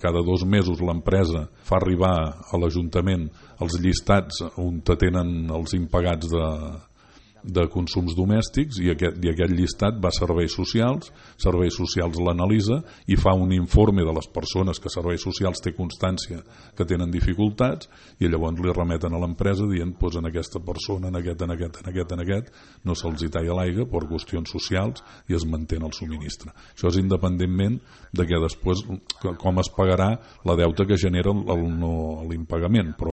cada 2 mesos l'empresa fa arribar a l'Ajuntament els llistats on tenen els impagats de consums domèstics i aquest llistat va a Serveis Socials l'analitza i fa un informe de les persones que Serveis Socials té constància que tenen dificultats i llavors li remeten a l'empresa dient doncs en aquesta persona, en aquest no se'ls hi talla l'aigua per qüestions socials i es manté el subministre. Això és independentment de que després com es pagarà la deuta que genera l'impagament, però